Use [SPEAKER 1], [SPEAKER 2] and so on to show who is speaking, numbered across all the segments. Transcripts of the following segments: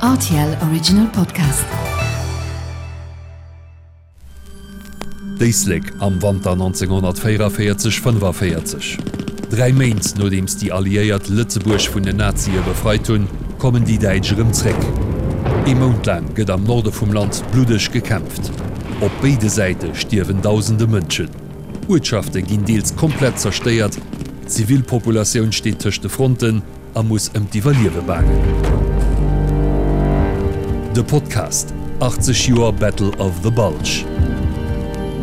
[SPEAKER 1] Rtl Original Podcast.
[SPEAKER 2] D'Éislek am Wanter 1944, 45. Dräi Méint nodeems déi Alliéiert Lëtzebuerg vun den Nazie befreit hunn, kommen déi Däitsch erëm zréck. Ee Mount laang gëtt am Norde vum Land bluddeg gekämpft. Op béide Säite stierwen dausende Mënschen. Uertschafte ginn deels komplett zerstéiert, d'Zivilpopulatioun steet tëscht de Fronten a muss ëm d'Iwwerliewe baangen. De Podcast 80 Joer Battle of the Bulge,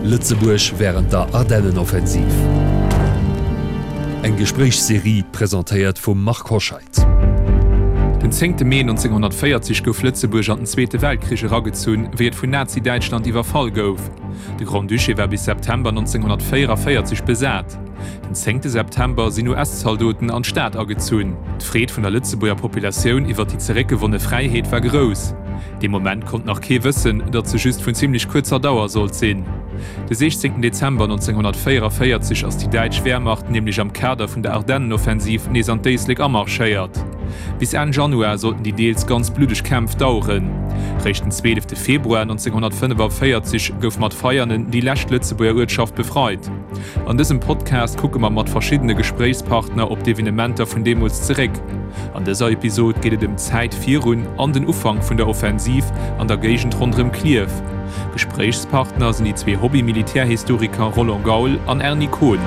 [SPEAKER 2] Lëtzebuerg wärend der Ardennenoffensiv. Eng Gespréichsserie presentéiert vum Marc Hoscheid.
[SPEAKER 3] Den zéngte Mee 1940 gouf Lëtzebuerg an den Zweete Weltkrich eragezunn, wéi et vun Nazi-Däitschland iwwerfall gouf. De Grand-Duché war bis September 1944 besat. Den zéngte September sinn US-Zaldoten an d'Stad agezunn. D'Freed vun der Lëtzebuerger Populatioun iwwer déi zeréckgewonne Fräiheet war grouss. Dee Moment konnt nach kee wëssen, datt se just vun zimmlech kuerzer Dauer sollt sinn. De 16 Dezember 1944 ass déi däitsch Wehrmacht nämlech am Kader vun der Ardennenoffensiv nees an d'Éislek amarschéiert. Bis Enn Januar sollten déi deels ganz bluddeg Kämpf daueren. Réischt den 12 Februar 1945 gouf mat Veianen déi lescht Lëtzebuerger Uertschaft befreit. An dësem Podcast kucke mer mat verschiddene Gespréichspartner op d'Evenementer vun deemools zeréck. An dëser Episod geet et ëm d'Zäit virun an den Ufank vun der Offensiv an der Géigend ronderëm Klierf. Gespréichspartner sinn déi zwee Hobby-Militärhistoriker Roland Gaul an Erny Kohn.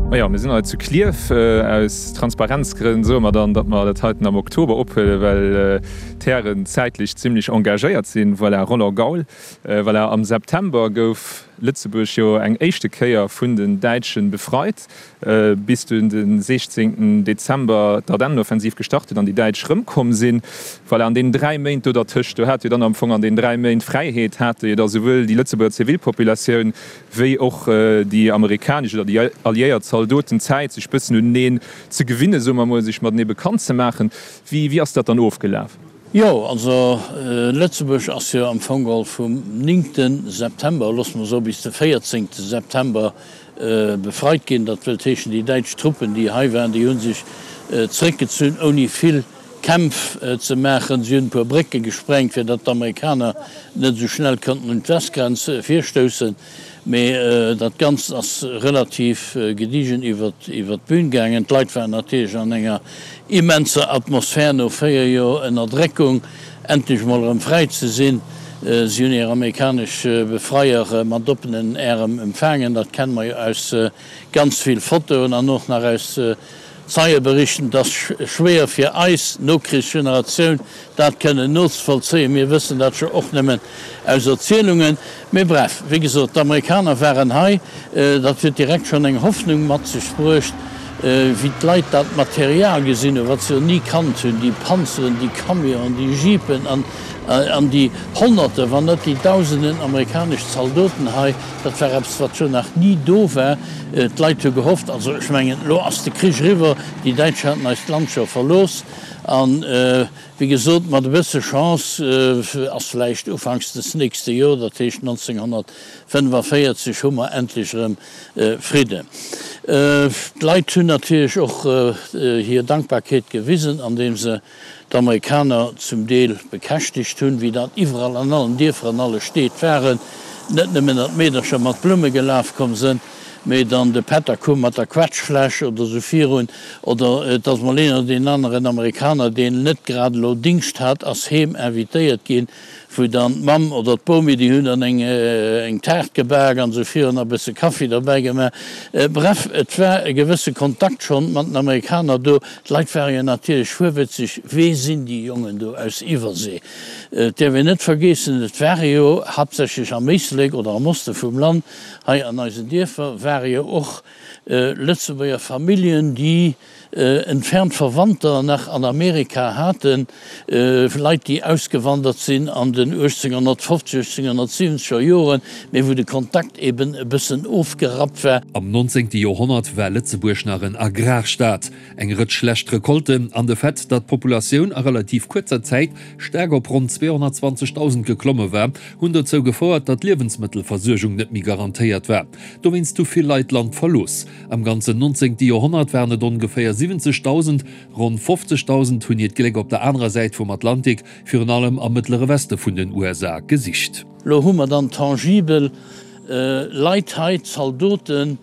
[SPEAKER 3] Majo, mir sinn hei zu Klierf. Aus Transparenzgrënn soe mer dann, datt mer dat heiten am Oktober ophuelen, well d'Hären zäitlech zimmlech engagéiert sinn. Voilà, Roland Gaul. Voilà, am September gouf Lëtzebuerg jo eng éischte Kéier vun den Däitsche befreit, bis dunn de 16 Dezember d'Ardennenoffensiv gestart huet an déi Däitsch rëmkomm sinn. Voilà, an deenen dräi Méint do dertëscht, do hat jo dann am Fong an deenen dräi Méint Fräiheet hate jo da souwuel déi Lëtzebuerger Zivilpopulatioun, wéi och déi amerikanesch oder déi alliéiert Zaldoten Zäit, sech bëssen uneneen ze gewinnen, soe mer emol, sech matenee bekannt ze maachen. Wéi, wéi ass dat dann ofgelaf?
[SPEAKER 4] Jo, also Lëtzebuerg ass jo am Fong geholl vum néngte September, loosse mer soe bis de véierzéngte September befreit ginn. Dat wëllt heeschen, déi däitsch Truppen, déi hei waren, déi hu sech zréckgezunn ouni vill Kämpf ze maachen. Si hunn e puer Brécke gesprengt, fir datt d'Amerikaner net esou schnell konnten un d'Westgrenz virstoussen. Mee dat Ganzt ass relativ gediegen iwwer d'Bün gaangen. D'Leit waren natierlech an enger immenser Atmosphär no 4 Joer Ënnerdréckung, endlech mol erëm fräi ze sinn. Si hunn hir amerikanesch Befreier mat oppenen Ärem empfaangen. Dat kenne mer jo aus ganz vill Fotoen an och nach aus Zeieberichten, Et ass schwéier fir eis Nokrichsgeneratioun dat kënnen nozevollzéien. Mir wëssen dat jo och nëmmen aus Erzielungen. Mee bref, wéi gesot, d'Amerikaner waren hei. Dat huet direkt schonn eng Hoffnung mat sech bruecht, wéi d'Leit dat Material gesinn hunn, wat se jo ni kannt hunn, déi Panzeren, déi Camionen, déi Jeepen an an déi Honnerte, wann net déi Dausenden amerikanesch Zaldoten hei. Dat war eppes, wat jo nach ni do war. D'Leit hu gehofft, also ech mengen, elo ass de Krich eriwwer, déi Däitsch haten eist Land scho verlooss an, wéi gesot, mat e bësse Chance ass vläicht ufanks des nächste Jor, dat heescht 1945, hu mer endlech erëm Fridden. D'Leit hunn natierlech och hir Dankbarkeet gewisen, andeem se d'Amerikaner zum Deel bekäschtegt hunn, wéi dat iwwerall an allen Dierfer an alle Steed waren, net nëmmen datt d'Meedercher mat Blumme gelaf komm sënn, mee dann de Pätter koum mat der Quetschfläsch oder sou virun, oder et ass mol een oder deen aneren Amerikaner, deen net grad elo Dingscht hat, ass heem invitéiert ginn, wou dann d'Mamm oder d'Bomi, déi hunn dann eng eng Taart gebak an esou virun a bësse Kaffi derbäi gemaach. Bref, et war e gewësse Kontakt schonn mat den Amerikaner do. D'Leit ware jo natierlech fuerwëtzeg, Wee sinn déi Jongen do aus Iwwersee? Et däerf een net vergeessen, et ware jo haaptsächlech am Éislek oder am Oste vum Land, hei an eisen Dierfer, ware jo och Lëtzebuerger Familljen, déi entfernt Verwandter nach an Amerika haten, Leit déi ausgewandert sinn an den 1850, 1870 er Joren, mee wou de Kontakt eben e bëssen ofgerappt war.
[SPEAKER 2] Am 19. Joerhonnert war Lëtzebuerg nach en Agrarstaat. Eng Rëtsch schlecht Recolten an de Fait, datt d'Populatioun a relativ kuerzer Zäit staark op ronn 220.000 geklomme war, hunn dozou gefouert, datt d'Liewensmëttelversuergung net méi garantéiert war. Dowéinst hu vill Leit d'Land verlooss. Am ganzen 19. Joerhonnert waren et ongeféier. 70.000. Ronn 50.000 hunn hiert Gléck op der anerer Säit vum Atlantik, virun allem am Mëttlere Weste vun den USA, gesicht.
[SPEAKER 4] Lo hu mer dann tangibel Leit hei, Zaldoten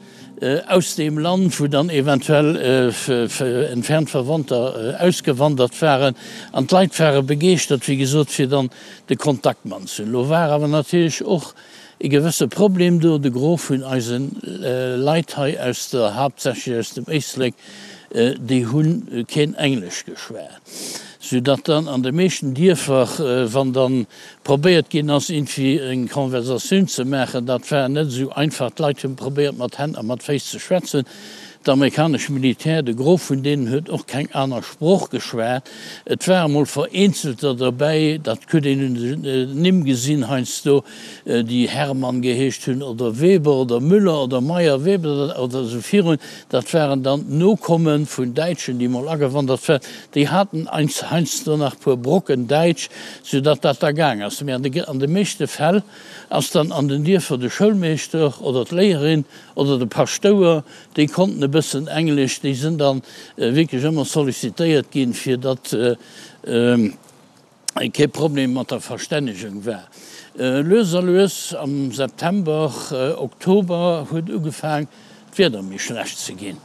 [SPEAKER 4] aus deem Land, wou dann eventuell entfernt Verwandter ausgewandert waren. An d'Leit ware begeeschtert, wéi gesot, fir dann de Kontakt mat ze hunn. Lo war awer natierlech och e gewësse Problem do, de Gros vun eise Leit hei aus der, haaptsächlech aus dem Éislek, déi hu keen Englesch geschwat, soudatt dann an de meeschten Dierfer, wann dann probéiert ginn ass, iergendwéi eng Konversatioun ze maachen, dat war net esou einfach. D'Leit hu probéiert mat Hänn a mat Féiss ze schwätzen. D'amerikanesch Militär, de Gros vun deenen huet och keng aner Sprooch geschwat. Et ware mol Vereenzelter derbäi, dat huet een un den Nimm gesinn heiansdo, déi Hermann geheescht hunn oder Weber oder Müller oder Meyer Weber oder esou virun. Dat waren dann d'Nokomme vun Däitschen, déi mol agewandert waren. Déi haten heiansdo nach puer Brocken Däitsch, soudatt dat da gaang ass. Mee an de meeschte Fäll ass dann an den Dierfer de Schoulmeeschter oder d'Léierin oder de Paschtouer, déi konnten e bëssen Englesch, déi sinn da wierklech ëmmer sollicitéiert ginn, fir datt kee Problem mat der Verstännegung war. Lues a lues am September, Oktober huet ugefaang d'Wieder méi schlecht ze ginn.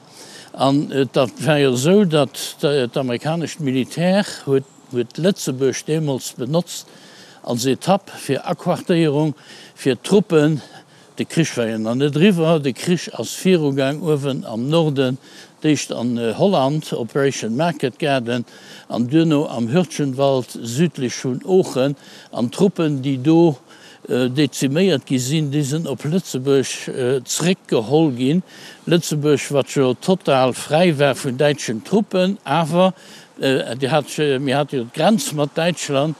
[SPEAKER 4] An et war jo esou, datt d'amerikanescht Militär huet huet Lëtzebuerg deemools benotzt als Etapp fir Aquartéierung fir d'Truppen. De Krich war jo nach net eriwwer, de Krich ass virugaang uewen am Norden, d'éischt an Holland, Operation Market Garden, an duerno am Hürtgenwald südlech vun Oochen. An d'Truppen, déi do deziméiert gi sinn, déi sinn op Lëtzebuerg zréckgeholl ginn. Lëtzebuerg, wat jo total fräi war vun däitschen Truppen, awer Dir hat, mir hate jo d'Grenz mat Däitschland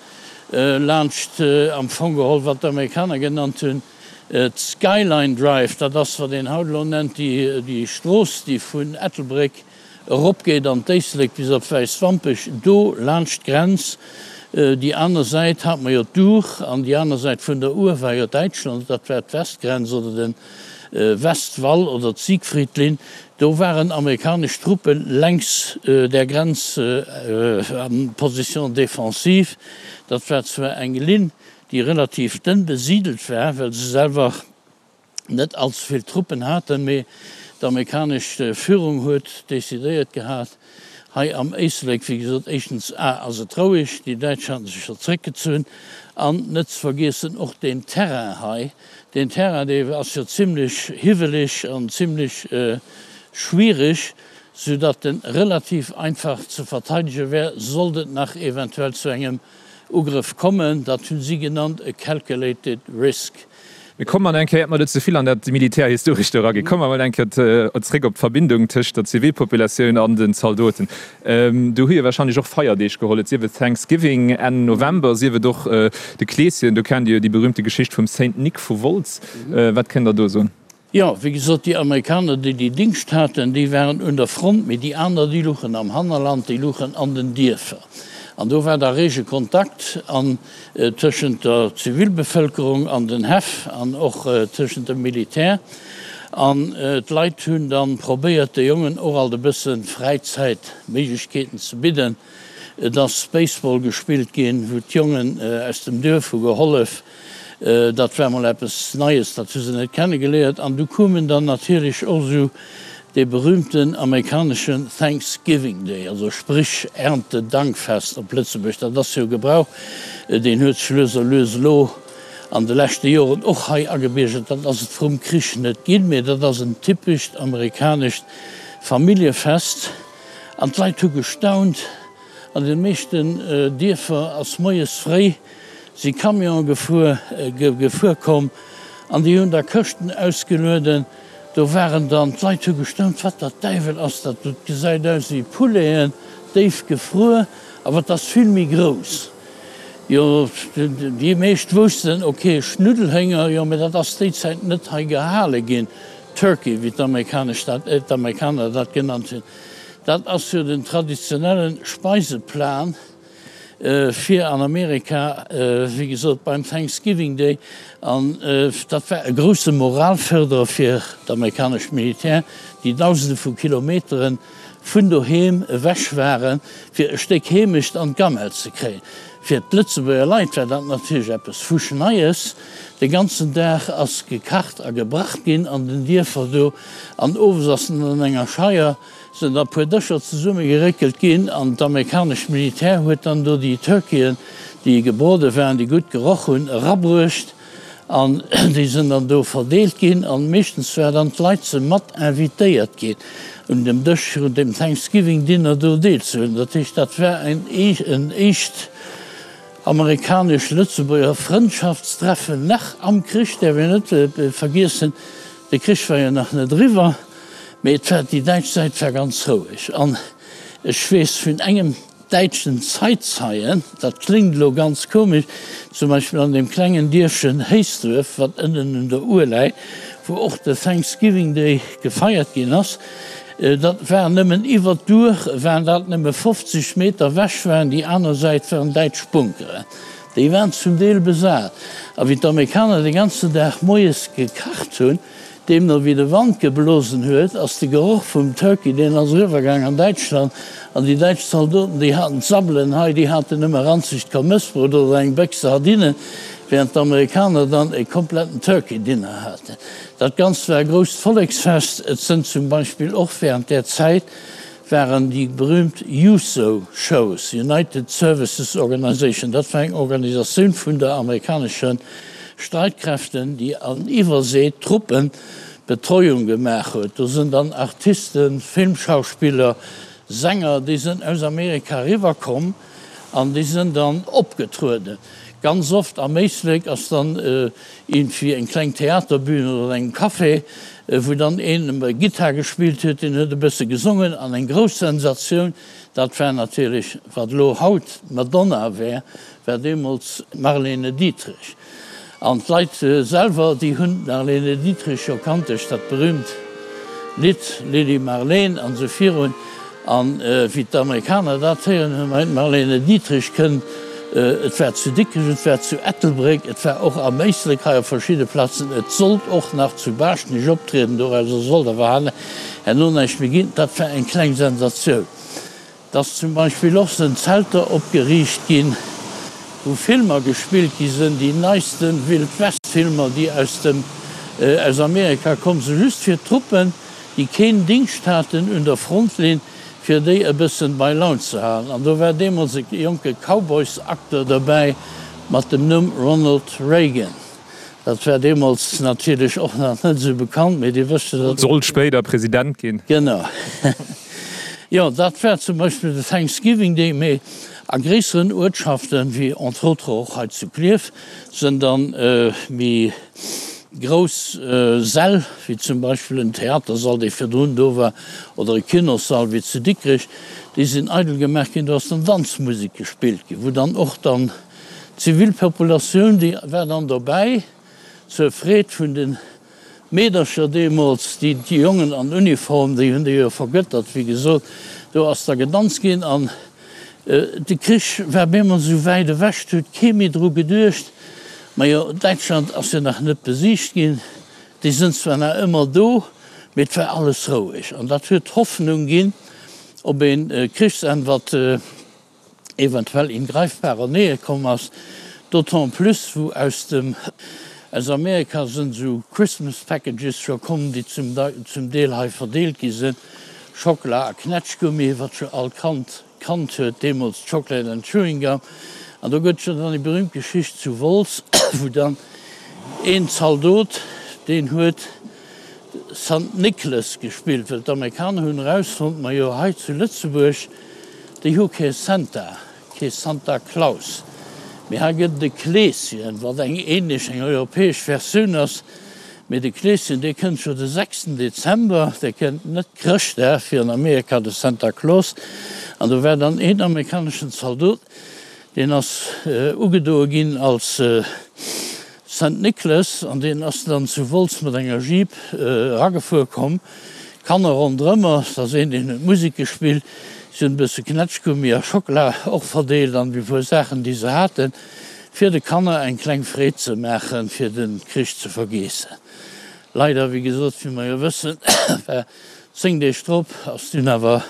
[SPEAKER 4] laanscht am Fong geholl, wat d'Amerikaner genannt hunn, d'Skyline Drive. Dat ass, wat een haut elo nennt, déi Strooss, déi vun Ettelbréck eropgeet an d'Éislek bis op Wäiswampech, do laanscht d'Grenz. Déi aner Säit hate mer jo d'Our, an déi aner Säit vun der Our war jo Däitschland, dat war d'Westgrenz oder de Westwall oder d'Siegfriedlinn. Do waren amerikanesch Truppe längs där Grenz a Position défensive. Dat war zwar eng Linn, déi relativ dënn besidelt war, well se selwer net allze vill Truppen haten, mee d'amerikanesch Führung huet decidéiert gehat, hei am Éislek, wéi gesot, éischtens a ass et roueg, déi Däitsch haten sech jo zréckgezunn, an net ze vergiessen och deen Terrain hei, Deen Terrain, dee ass jo zimlech hiwweleg an zimlech schwierig, soudatt en relativ einfach ze verteidege wär, sollt et nach eventuell zu engem Ugrëff kommen. Dat hu si genannt e calculated risk.
[SPEAKER 3] Mir kommen eng Kéier, iert mer do ze vill an dat Militärhistorescht do eraginn, komme mer emol eng Kéier zréck op d'Verbindung tëscht der Zivilpopulatioun an den Zaldoten. Do hu jo wahrscheinlech och Feierdeeg geholl, et sief et Thanksgiving Enn November, sief et och de Kleeschen. Do kennt Dir jo déi berühmte Geschicht vum Saint Nic vu Wolz. Wat kënnt Der do soen?
[SPEAKER 4] Jo, wéi gesot, déi Amerikaner, déi déi Dingscht haten, déi waren un der Front, mee déi aner, déi luchen am Hannerland, déi luchen an den Dierfer. An do war da rege Kontakt an tëschent der Zivilbevëlkerung an den Häff an och tëschent dem Militär. An d'Leit hunn da probéiert, de Jongen och alt e bësse Fräizäitméiglechkeeten ze bidden. Et ass Baseball gespillt ginn, wou d'Jongen aus dem Duerf hu gehollef. Dat war mol eppes Neies, dat hu se net kennegeléiert. An du koumen dann natierlech och esou dee berühmten amerikaneschen Thanksgiving Day, also sprich Erntedankfest op Lëtzebuerg. Dat ass jo e Gebrauch, deen huet sech lues a lues elo an de leschte Joren och hei agebiergert. Dat ass et vrum Krich net ginn, mee dat ass en typescht amerikanescht Familljefest. An d'Leit hu gestaunt, An de meeschten Dierfer ass moies fréi si Camionë gefuer gefuer komm an déi hunn da Këschten ausgelueden. Do waren dann, d'Leit hu gestaunt, wat der Däiwel ass dat do, et gesäit aus wéi Pouleten, déif gefruer, awer et ass vill méi grouss. Jo, déi meescht woussten, ok, Schnuddelhénger, jo, mä dat ass déi Zäit net hei gehale ginn, Turkey, wéi d'Amerikanesch dat, d'Amerikaner dat genannt hunn. Dat ass jo den traditionelle Speiseplan fir an Amerika, wéi gesot beim Thanksgiving Day. An dat war e grousse Moralförderer fir d'amerikanescht Militär, déi Dausende vu Kilometeren. vun doheem ewech waren, fir e Stéck Heemecht an d'Gamelle ze kréien. Fir d'Lëtzebuerger Leit war dat natierlech eppes Fuschneies. De ganzen Dag ass gekacht a gebracht ginn an den Dierfer do an owes ass dann an enger Scheier sinn da puer Dëscher zesumme geréckelt ginn an d'amerikanescht Militär huet dann do déi Turkeyen, déi gebrode waren, déi gutt geroch hunn, erabruecht an déi sinn dann do verdeelt ginn an meeschtens war dann d'Leit se mat invitéiert ginn un dem Dësch un dem Thanksgiving Dinner do deelzehuelen. Dat heescht dat war en éischt amerikanesch-lëtzebuerger Frëndschaftstreffen nach am Krich, däerf een net vergiessen, de Krich war jo nach net eriwwer, mee et war, déi däitsch Säit war ganz roueg an ech weess vun engem däitschen Zeitzeien, dat kléngt elo ganz komesch, zum Beispill an deem klengen Dierfchen Héisdref, wat ënnen un der Our läit, wou och de Thanksgiving Day gefeiert ginn ass, dat war nëmmen iwwert d'Our, waren dat nëmme 50 Meter ewech waren, déi aner Säit waren däitsch Bunkeren, déi waren zum Deel besat. A wéi d'Amerikaner de ganzen Dag moies gekacht hunn, Deemno wéi de Wand geblosen huet, ass de Geroch vum Turkey, deen ass eriwwergaang an Däitschland, an déi däitsch Zaldoten, déi haten d'Sabbelen hei, déi haten nëmme ranzegt Kommëssbrot oder eng Béchs Sardinen, während d'Amerikaner dann e kompletten Turkey Dinner haten. Dat Ganzt war e grousst Volleksfest. Et sënn zum Beispill och während där Zäit waren déi berühmt USO Shows, United Services Organization, dat war eng Organisatioun vun der amerikanesche Streitkräften, déi an Iwwersee Truppen Betreuung gemaach huet. Do sënn dann Artisten, Filmschauspiller, Sänger, déi sënn aus Amerika eriwwer komm an déi sënn dann opgetrueden. Ganz oft am Éislek ass dann iergendwéi eng kleng Theaterbühn oder an engem Café, wou dann een Gittar gespillt huet, deen huet e bësse gesongen an eng grouss Sensatioun, dat war natierlech, wat elo haut d'Madonna wär, war deemools d'Marlene Dietrich. An d'Leit selwer, déi hunn d'Marlene Dietrich jo kannt duerch dat berühmt Lidd Lili Marleen an esou virun. An wéi d'Amerikaner dat héieren hunn, hei d'Marlene Dietrich kënnt, et war zu Dikrech, et war zu Ettelbréck, et war och am Éislek hei op verschidde Plazen, et sollt och nach zu Baaschtnech optrieden, dorauser sollt awer herno näischt méi ginn, dat war eng kleng Sensatioun. Et ass zum Beispill och sënn Zelter opgeriicht ginn, wou Filmer gespillt gi sënn, déi neisten Wild West Filmer, déi aus dem aus Amerika komm sënn, just fir d'Truppen, déi keen Dingscht haten un der Frontlinn, fir déi e bëssen bei Laun ze halen. An do war deemools e jonke Cowboys-Acteur derbäi mat dem Numm Ronald Reagan. Dat war deemools natierlech och nach net esou bekannt, mee Dir wësst jo, datt.
[SPEAKER 3] Sollt spéider President ginn.
[SPEAKER 4] Genau. Jo, dat war zum Beispill de Thanksgiving Day, mee a gréisseren Uertschaften, wéi entre autres och hei zu Klierf, sënn dann méi grouss Säll, wéi zum Beispill en Theatersall, dee virdrun do war, oder e Kinossall, wéi zu Dikrech, déi sinn eidel gemaach ginn, do ass dann Danzmusek gespillt ginn, wou dann och dann D'Zivilpopulatioun, déi war dann dobäi, zur Freed vun de Meedercher deemools. Déi Jongen an Uniform, déi hunn déi jo vergëttert, wéi gesot. Do ass da gedanzt ginn an de Krich war bemol esou wäit ewech, et huet kee méi dru geduecht. Majo, Däitschland ass jo nach net besiegt ginn, déi sënn zwar nach ëmmer do, mee et war alles roueg. An dat huet Hoffnung ginn op ee Krichsenn, wat eventuell in greifbarer Nähe komm ass, d'autant plus wou aus dem aus Amerika sënn esou Christmas Packages scho komm, déi zum zum Deel hei verdeelt gi sënn, Schockela a Knätschgummi, wat scho all Kand kannt huet deemools, Chocolate and Chewing Gum. An do gëtt jo dann déi berühmt Geschicht zu Wolz, wou dann een Zaldot, deen huet Sant Nicholas gespillt, well d'Amerikaner hunn erausfonnt, majo hei zu Lëtzebuerg, Déi hu kee Santa, kee Santa Claus, mee hei gëtt et e Kleeschen, wat eng ähnlech, eng europäesch Versioun ass. Mee de Kleeschen, dee kënnt scho de sechsten Dezember, dee kënnt net Chrëschtdag, wéi an Amerika de Santa Claus. An do war dann een amerikaneschen Zaldot, deen ass ugedoe ginn als Saint Nicholas, an deen ass dann zu Wolz mat enger Jeep eragefuer komm, Kanner ronderëmmer, et ass een deen huet Musek gespillt, si hunn e bësse Knätschgummi a Schockela och verdeelt an déi puer Saachen déi se haten, fir de Kanner eng kleng Freed ze maachen, fir de Krich ze vergeessen. Leider, wéi gesot, wéi mer jo wëssen, war 10 Deeg drop ass dunn awer.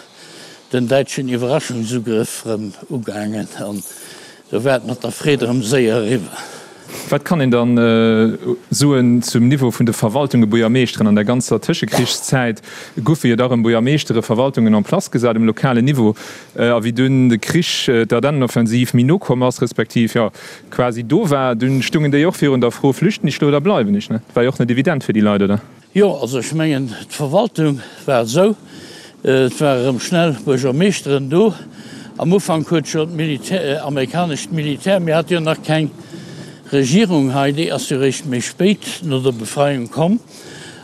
[SPEAKER 4] den däitschen Iwwerraschungsugrëff rëm ugaangen an do war et mat der Freed erëm séier eriwwer.
[SPEAKER 3] Wat kann een dann soen zum Niveau vun de Verwaltunge, Buergermeeschteren? An der ganzer Tëschekrichszäit goufe jo da rëm Buergermeeschtere, Verwaltungen en place gesat um lokalen Niveau. A wéi dunn de Krich, d'Ardennenoffensiv méi no komm ass, respektiv jo quasi do war, dunn stungen déi och virun der Fro, Flüchten ech lo oder bleiwen ech? Dat war jo och net evident fir déi Leit, oder?
[SPEAKER 4] Jo, also ech mengen, d'Verwaltung war esou, et ware rëm schnell Buergermeeschteren do. Am Ufank huet jo d'Militär, amerikanescht Militär, mir hate jo nach keng Regierung hei, déi ass jo réischt méi spéit no der Befreiung komm,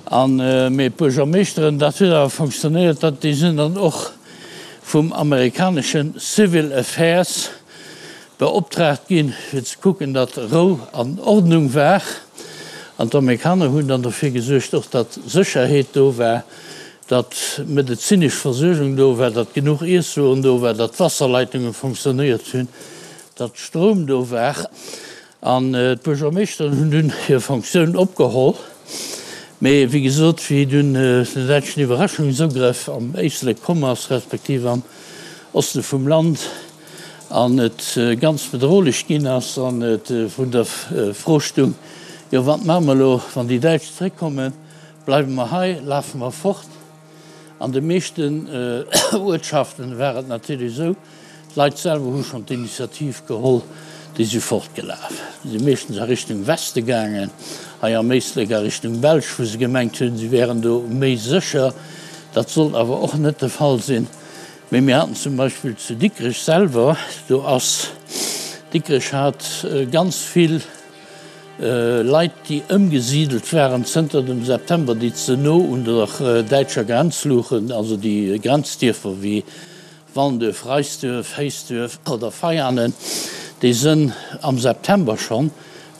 [SPEAKER 4] an, mee d'Buergermeeschteren, dat huet awer fonctionnéiert, dat, déi sinn dann och vum amerikanesche Civil Affairs Beoptraagt ginn, fir ze kucken, datt Rou an Ordnung war. An d'Amerikaner hunn dann dofir gesuergt och, datt Sécherheet do war, datt medezinesch Versuergung do war, datt genuch Iesswueren do war, datt d'Wasserleitunge fonctionnéiert hunn, datt Stroum do war. An d'Buergermeeschteren hunn dunn hir Fonctioun opgeholl. Mee wéi gesot, wéi dunn den däitschen Iwwerraschungsugrëff am Éislek komm ass, respektiv am Oste vum Land, an et ganz bedrohlech ginn ass an et vrun der Fro stung, jo wat maache mer elo, wann déi Däitsch zréckkommen, bleiwe mer hei, lafe mer fort? An de meeschten Uertschaften war et natierlech esou, d'Leit selwer hu schonn d'Initiativ geholl, déi si fortgelaf, si meeschtens a Richtung Weste gaangen, hei am Éislek a Richtung Belsch, wou se gemengt hunn, si wären do méi sécher. Dat sollt awer och net de Fall sinn. Mee mir haten zum Beispill zu Dikrech selwer, do ass, Dikrech hat ganz vill Leit, déi ëmgesidelt waren zënter dem September, déi ze no un der däitscher Grenz luchen, also déi Grenzdierfer wéi Wallenduerf, Reisduerf, Héisduerf oder Veianen, déi sënn am September schonn